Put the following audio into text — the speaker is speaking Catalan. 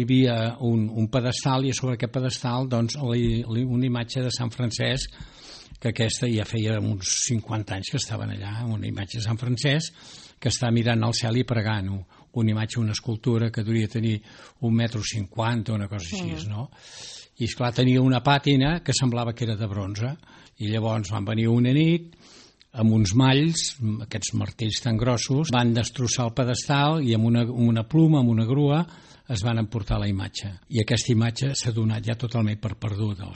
Hi havia un pedestal i sobre aquest pedestal doncs, una imatge de Sant Francesc, que aquesta ja feia uns 50 anys que estaven allà, una imatge de Sant Francesc que està mirant al cel i pregant, una imatge, una escultura que devia tenir 1,50 m, una cosa així, no? I esclar, tenia una pàtina que semblava que era de bronze, i llavors van venir una nit amb uns malls, aquests martells tan grossos, van destrossar el pedestal i amb una pluma, amb una grua, es van emportar la imatge. I aquesta imatge s'ha donat ja totalment per perduda.